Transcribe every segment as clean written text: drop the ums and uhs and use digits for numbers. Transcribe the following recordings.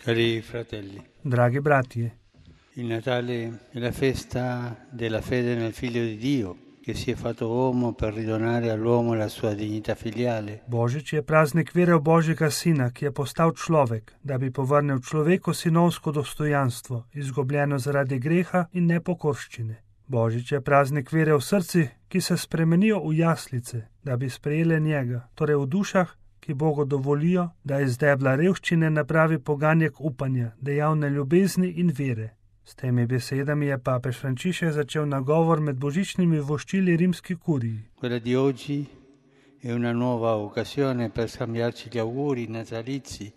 Cari fratelli, Dragi bratje, il Natale è la festa della fede nel Figlio di Dio, che si è fatto uomo per ridonare all'uomo la sua dignità filiale. Božič je praznik vere v Božjega Sina, ki je postal človek, da bi povrnil človeku sinovsko dostojanstvo, izgubljeno zaradi greha in nepokorščine. Božič je praznik vere v srci, ki se spremenijo v jaslice, da bi sprejele njega, torej v dušah, ki Bogu dovolijo, da iz debla revščine napravi poganjek upanja, dejavne ljubezni in vere. S temi besedami je papež Frančišek začel nagovor med božičnimi voščili rimski kuriji. Quella di oggi è una nuova occasione per scambiarci gli auguri natalizi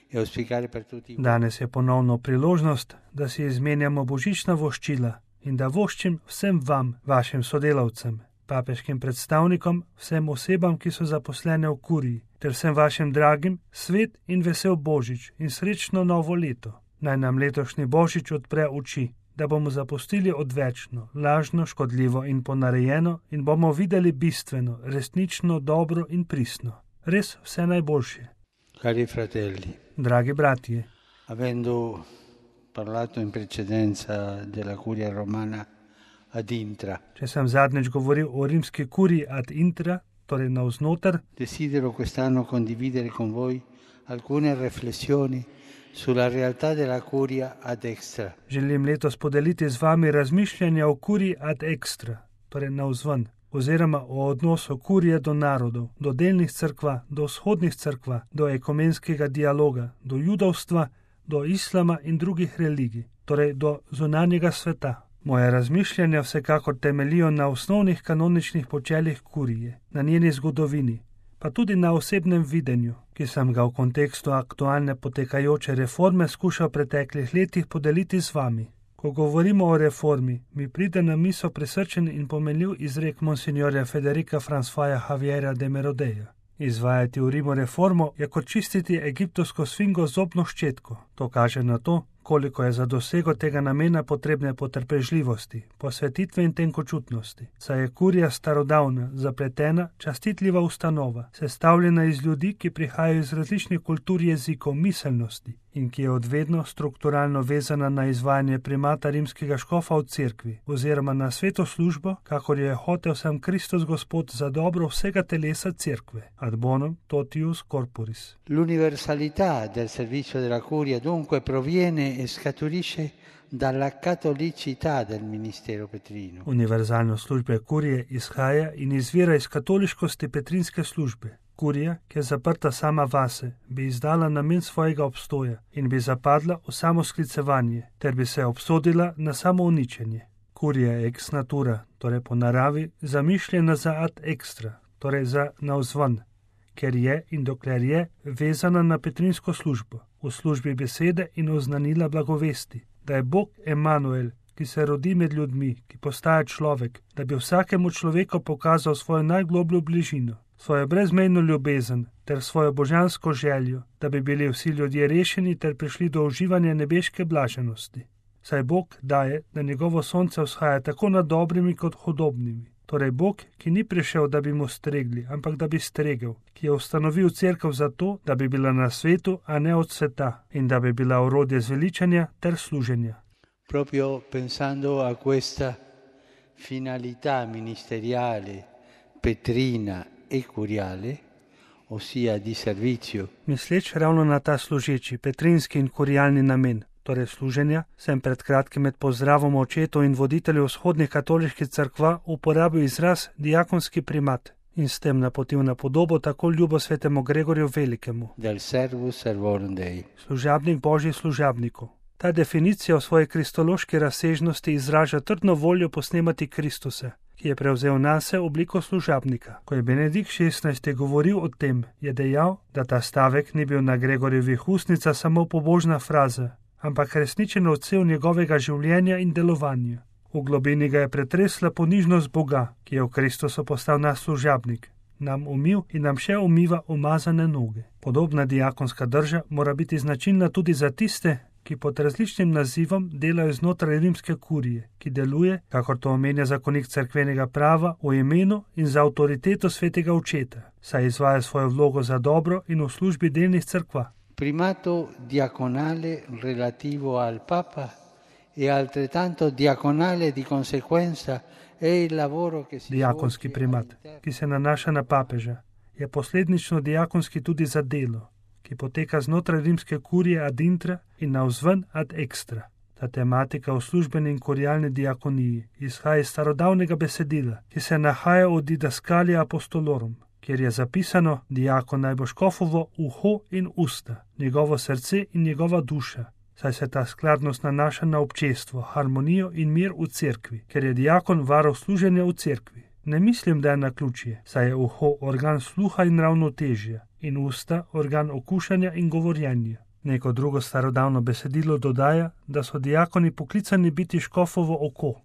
e auspicare per tutti. Danes je ponovno priložnost, da si izmenjamo božična voščila in da voščim vsem vam, vašim sodelavcem, papeškim predstavnikom, vsem osebam, ki so zaposlene v kuriji, ter vsem vašim dragim svet in vesel božič in srečno novo leto. Naj nam letošnji božič odpre oči, da bomo zapustili odvečno, lažno, škodljivo in ponarejeno in bomo videli bistveno, resnično, dobro in pristno. Res vse najboljše. Cari fratelli, Dragi bratje, avendo parlato in precedenza della curia romana ad intra, če sem zadnjič govoril o rimski kuriji ad intra, torej navznoter, desidero quest'anno condividere con voi alcune riflessioni sulla realtà della curia ad extra. želim letos podeliti z vami razmišljanja o kuriji ad extra, torej navzven, oziroma o odnosu kurije do narodov, do delnih cerkva, do vzhodnih cerkva, do ekumenskega dialoga, do judovstva, do islama in drugih religij, torej do zunanjega sveta. Moje razmišljanja vsekakor temeljijo na osnovnih kanoničnih počeljih kurije, na njeni zgodovini, pa tudi na osebnem videnju, ki sem ga v kontekstu aktualne potekajoče reforme skušal v preteklih letih podeliti z vami. Ko govorimo o reformi, mi pride na misel prisrčen in pomenljiv izrek monsignorja Federica Françoisa Javiera de Merodeja. Izvajati v Rimu reformo je kot čistiti egiptovsko sfingo z zobno ščetko. To kaže na to, koliko je za dosego tega namena potrebne potrpežljivosti, posvetitve in tenkočutnosti. Saj je kurija starodavna, zapletena, častitljiva ustanova, sestavljena iz ljudi, ki prihajajo iz različnih kultur, jezikov, miselnosti in ki je odvedno strukturalno vezana na izvajanje primata rimskega škofa v cerkvi oziroma na sveto službo, kakor je hotel sam Kristus Gospod za dobro vsega telesa cerkve. Ad bonum totius corporis. L'universalità del servizio della curia dunque proviene e scaturisce dalla cattolicità del ministero petrino. Univerzalnost službe kurije izhaja in izvira iz katoliškosti petrinske službe. Kurija, ki je zaprta sama vase, bi izdala namen svojega obstoja in bi zapadla v samosklicevanje, ter bi se obsodila na samouničenje. Kurija je ex natura, torej po naravi, zamišljena za ad extra, torej za navzven, ker je in dokler je vezana na petrinsko službo, v službi besede in oznanila blagovesti, da je Bog Emanuel, ki se rodi med ljudmi, ki postaja človek, da bi vsakemu človeku pokazal svojo najglobljo bližino, svojo brezmejno ljubezen ter svojo božansko željo, da bi bili vsi ljudje rešeni ter prišli do uživanja nebeške blaženosti. Saj Bog daje, da njegovo sonce vzhaja tako nad dobrimi kot hudobnimi. Torej Bog, ki ni prišel, da bi mu stregli, ampak da bi stregel, ki je ustanovil cerkev zato, da bi bila na svetu, a ne od sveta, in da bi bila orodje zveličanja ter služenja. Proprio pensando a questa finalità ministeriale, petrina e curiale, ossia di servizio. Misleč ravno na ta služeči, petrinski in kurialni namen, torej služenja, sem pred kratkim med pozdravom očetov in voditeljev vzhodnih katoliških cerkva uporabil izraz diakonski primat in s tem napotil na podobo tako ljubo svetemu Gregorju Velikemu. Del servus servorum Dei. Služabnik Božjih služabnikov. Ta definicija v svoji kristološki razsežnosti izraža trdno voljo posnemati Kristusa, ki je prevzel nase obliko služabnika. Ko je Benedikt XVI. Govoril o tem, je dejal, da ta stavek ni bil na Gregorjevih ustnicah samo pobožna fraza, ampak resničen odsev njegovega življenja in delovanja. V globini ga je pretresla ponižnost Boga, ki je v Kristusu postal naš služabnik, nam umil in nam še umiva umazane noge. Podobna diakonska drža mora biti značilna tudi za tiste, ki pod različnim nazivom delajo znotraj rimske kurije, ki deluje, kakor to omenja zakonik cerkvenega prava, v imenu in za avtoriteto svetega očeta, saj izvaja svojo vlogo za dobro in v službi delnih cerkva. primato diaconale relativo al Papa e altrettanto diaconale di conseguenza è il lavoro che si Diakonski primat, ki se nanaša na papeža, je posledično diakonski tudi za delo, ki poteka znotraj rimske kurije ad intra in navzven ad extra. Ta tematika v službeni in kurialni diakoniji izhaja iz starodavnega besedila, ki se nahaja v Didaskalija apostolorum, kjer je zapisano: diakon naj bo škofovo uho in usta, njegovo srce in njegova duša, saj se ta skladnost nanaša na občestvo, harmonijo in mir v cerkvi, ker je diakon varuh služenja v cerkvi. Ne mislim, da je naključje, saj je uho organ sluha in ravnotežja in usta organ okušanja in govorjenja. Neko drugo starodavno besedilo dodaja, da so diakoni poklicani biti škofovo oko.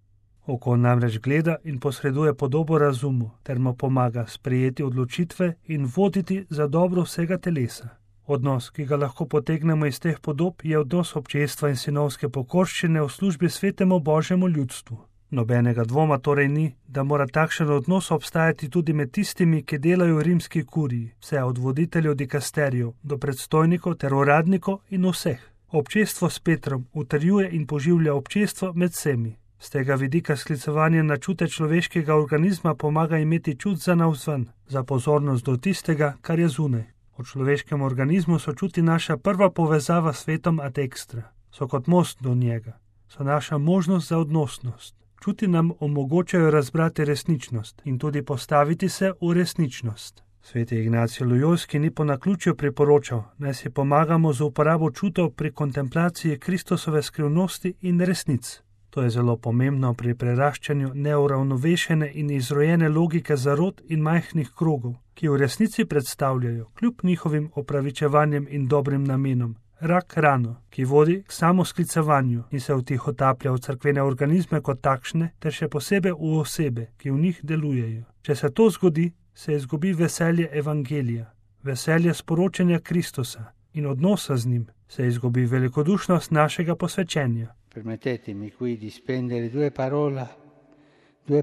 Oko namreč gleda in posreduje podobo razumu, ter mu pomaga sprejeti odločitve in voditi za dobro vsega telesa. Odnos, ki ga lahko potegnemo iz teh podob, je odnos občestva in sinovske pokorščine v službi svetemu Božjemu ljudstvu. Nobenega dvoma torej ni, da mora takšen odnos obstajati tudi med tistimi, ki delajo v rimski kuriji, vse od voditeljev dikasterijev do predstojnikov ter uradnikov in vseh. Občestvo s Petrom utrjuje in poživlja občestvo med vsemi. Z tega vidika sklicevanje na čute človeškega organizma pomaga imeti čut za navzven, za pozornost do tistega, kar je zunaj. V človeškem organizmu so čuti naša prva povezava s svetom ad extra, so kot most do njega, so naša možnost za odnosnost. Čuti nam omogočajo razbrati resničnost in tudi postaviti se v resničnost. Sveti Ignacij Lojolski ni po naključju priporočal, naj si pomagamo z uporabo čutov pri kontemplaciji Kristusove skrivnosti in resnic. To je zelo pomembno pri preraščanju neuravnovešene in izrojene logike zarod in majhnih krogov, ki v resnici predstavljajo, kljub njihovim opravičevanjem in dobrim namenom, rak rano, ki vodi k samosklicevanju in se vtihotaplja v cerkvene organizme kot takšne, ter še posebej v osebe, ki v njih delujejo. Če se to zgodi, se izgubi veselje evangelija, veselje sporočanja Kristusa in odnosa z njim, se izgubi velikodušnost našega posvečenja. Permettetemi qui di spendere due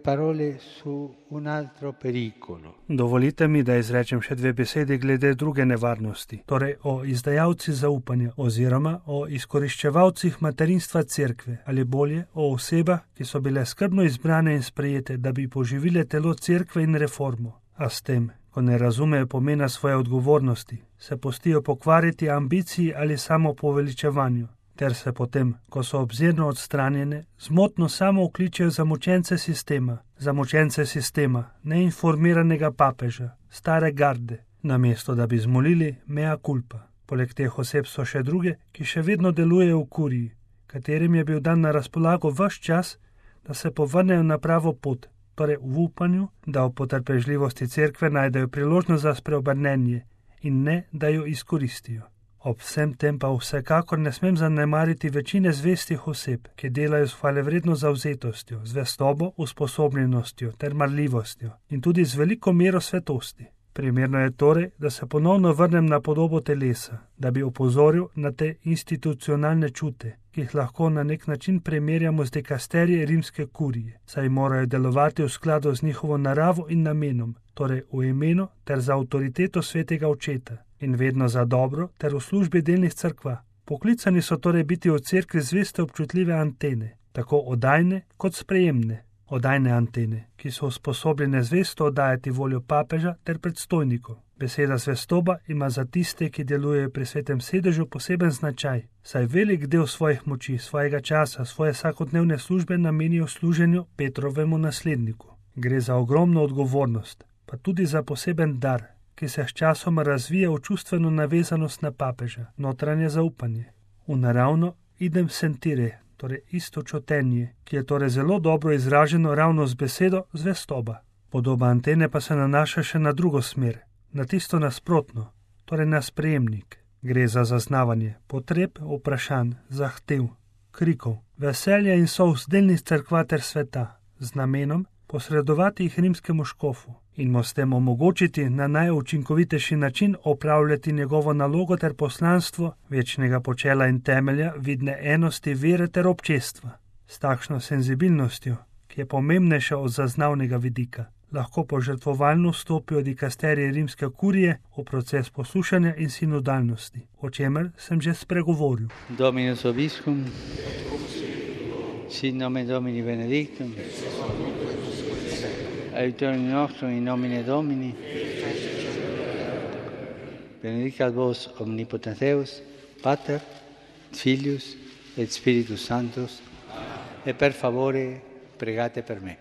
parole su un altro pericolo. Dovolite mi, da izrečem še dve besedi glede druge nevarnosti, torej o izdajalcih zaupanja oziroma o izkoriščevalcih materinstva cerkve, ali bolje o osebah, ki so bile skrbno izbrane in sprejete, da bi poživile telo cerkve in reformo, a s tem, ko ne razumejo pomena svoje odgovornosti, se pustijo pokvariti ambiciji ali samopoveličevanju, ter se potem, ko so obzirno odstranjene, zmotno samo vkličejo za mučence sistema, neinformiranega papeža, stare garde, namesto da bi zmolili mea culpa. Poleg teh oseb so še druge, ki še vedno delujejo v kuriji, katerim je bil dan na razpolago ves čas, da se povrnejo na pravo pot, torej v upanju, da v potrpežljivosti cerkve najdejo priložnost za spreobrnenje in ne, da jo izkoristijo. Ob vsem tem pa vsekakor ne smem zanemariti večine zvestih oseb, ki delajo s hvalevredno zavzetostjo, zvestobo, usposobljenostjo ter marljivostjo in tudi z veliko mero svetosti. Primerno je torej, da se ponovno vrnem na podobo telesa, da bi opozoril na te institucionalne čute, ki jih lahko na nek način primerjamo z dikasterije rimske kurije, saj morajo delovati v skladu z njihovo naravo in namenom, torej v imenu ter za avtoriteto svetega očeta in vedno za dobro ter v službi delnih cerkva. Poklicani so torej biti v cerkvi zveste občutljive antene, tako oddajne kot sprejemne. Oddajne antene, ki so usposobljene zvesto oddajati voljo papeža ter predstojnikov. Beseda zvestoba ima za tiste, ki delujejo pri svetem sedežu, poseben značaj, saj velik del svojih moči, svojega časa, svoje vsakodnevne službe namenijo služenju Petrovemu nasledniku. Gre za ogromno odgovornost, pa tudi za poseben dar, ki se s časom razvija v čustveno navezanost na papeža, notranje zaupanje. V naravno idem sentire, torej istočutenje, ki je torej zelo dobro izraženo ravno z besedo zvestoba. Podoba antene pa se nanaša še na drugo smer, na tisto nasprotno, torej na sprejemnik. Gre za zaznavanje potreb, vprašanj, zahtev, krikov, veselja in solz delnih cerkva ter sveta, z namenom posredovati jih rimskemu škofu in mu s tem omogočiti na najučinkovitejši način opravljati njegovo nalogo ter poslanstvo večnega počela in temelja vidne enosti vere ter občestva, s takšno senzibilnostjo, ki je pomembnejša od zaznavnega vidika, lahko požrtvovalno vstopijo dikasterije rimske kurije v proces poslušanja in sinodalnosti, o čemer sem že spregovoril. Dominus vobiscum, sit nomen Domini benedictum, aiutorium nostrum in nomine Domini, benedicat vos omnipotens Deus, Pater, Filius et Spiritus Sanctus, e per favore pregate per me.